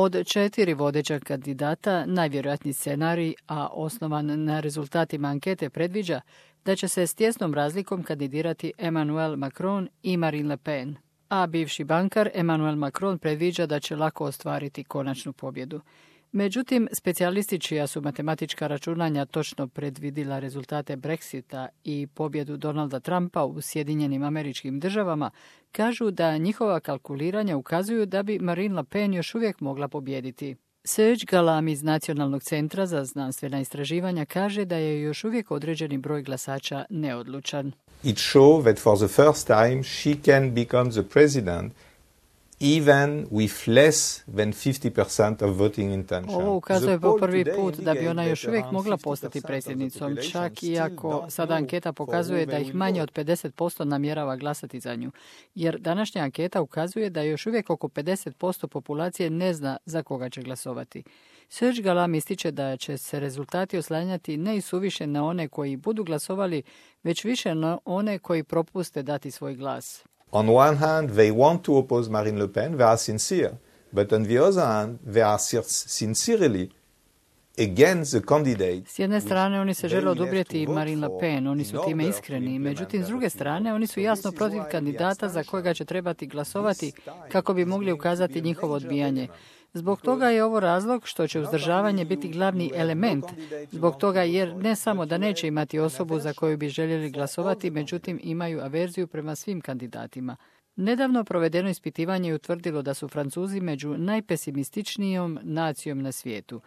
Od 4 vodeća kandidata, najvjerojatniji scenarij, a osnovan na rezultatima ankete, predviđa da će se s tjesnom razlikom kandidirati Emmanuel Macron i Marine Le Pen. A bivši bankar Emmanuel Macron predviđa da će lako ostvariti konačnu pobjedu. Međutim, specijalisti čija su matematička računanja točno predvidila rezultate Brexita i pobjedu Donalda Trumpa u Sjedinjenim Američkim Državama, kažu da njihova kalkuliranja ukazuju da bi Marine Le Pen još uvijek mogla pobijediti. Serge Galam iz Nacionalnog centra za znanstvena istraživanja kaže da je još uvijek određeni broj glasača neodlučan. It shows that for the first time she can become the president even with less than 50% of voting intention. Ovo ukazuje po prvi put da bi ona još uvijek mogla postati predsjednicom, čak iako sada anketa pokazuje da ih manje od 50% namjerava glasati za nju. Jer današnja anketa ukazuje da još uvijek oko 50% populacije ne zna za koga će glasovati. Serge Galam ističe da će se rezultati oslanjati ne i suviše na one koji budu glasovali, već više na one koji propuste dati svoj glas. On one hand, they want to oppose Marine Le Pen, they are sincere. But on the other hand, they are sincerely against the candidate. S jedne strane, oni se žele oduprijeti Marine Le Pen, oni su time iskreni. Međutim, s druge strane, oni su jasno protiv kandidata za kojega će trebati glasovati kako bi mogli ukazati njihovo odbijanje. Zbog toga je ovo razlog što će uzdržavanje biti glavni element. Zbog toga jer ne samo da neće imati osobu za koju bi željeli glasovati, međutim imaju averziju prema svim kandidatima. Nedavno provedeno ispitivanje je utvrdilo da su Francuzi među najpesimističnijom nacijom na svijetu,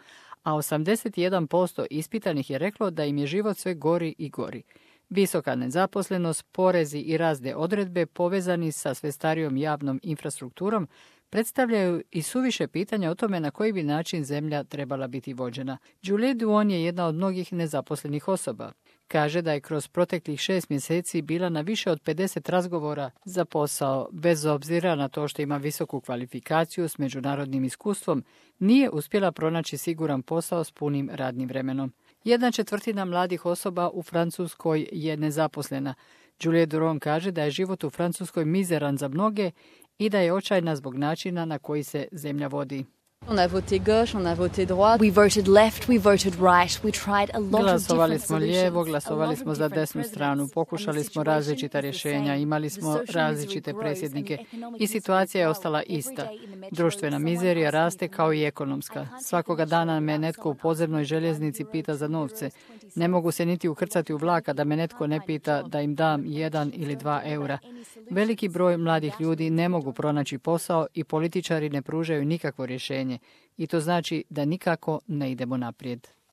a 81% ispitanih je reklo da im je život sve gori i gori. Visoka nezaposlenost, porezi i razne odredbe povezani sa sve starijom javnom infrastrukturom predstavljaju i suviše pitanja o tome na koji bi način zemlja trebala biti vođena. Juliette Duon je jedna od mnogih nezaposlenih osoba. Kaže da je kroz proteklih 6 mjeseci bila na više od 50 razgovora za posao. Bez obzira na to što ima visoku kvalifikaciju s međunarodnim iskustvom, nije uspjela pronaći siguran posao s punim radnim vremenom. 1/4 mladih osoba u Francuskoj je nezaposlena. Juliette Duron kaže da je život u Francuskoj mizeran za mnoge i da je očajna zbog načina na koji se zemlja vodi. Glasovali smo lijevo, glasovali smo za desnu stranu, pokušali smo različita rješenja, imali smo različite predsjednike i situacija je ostala ista. Društvena mizerija raste kao i ekonomska. Svakoga dana me netko u podzemnoj željeznici pita za novce. Ne mogu se niti ukrcati u vlak, da me netko ne pita da im dam 1 ili 2 eura. Veliki broj mladih ljudi ne mogu pronaći posao i političari ne pružaju nikakvo rješenje. I to znači da nikako ne idemo naprijed.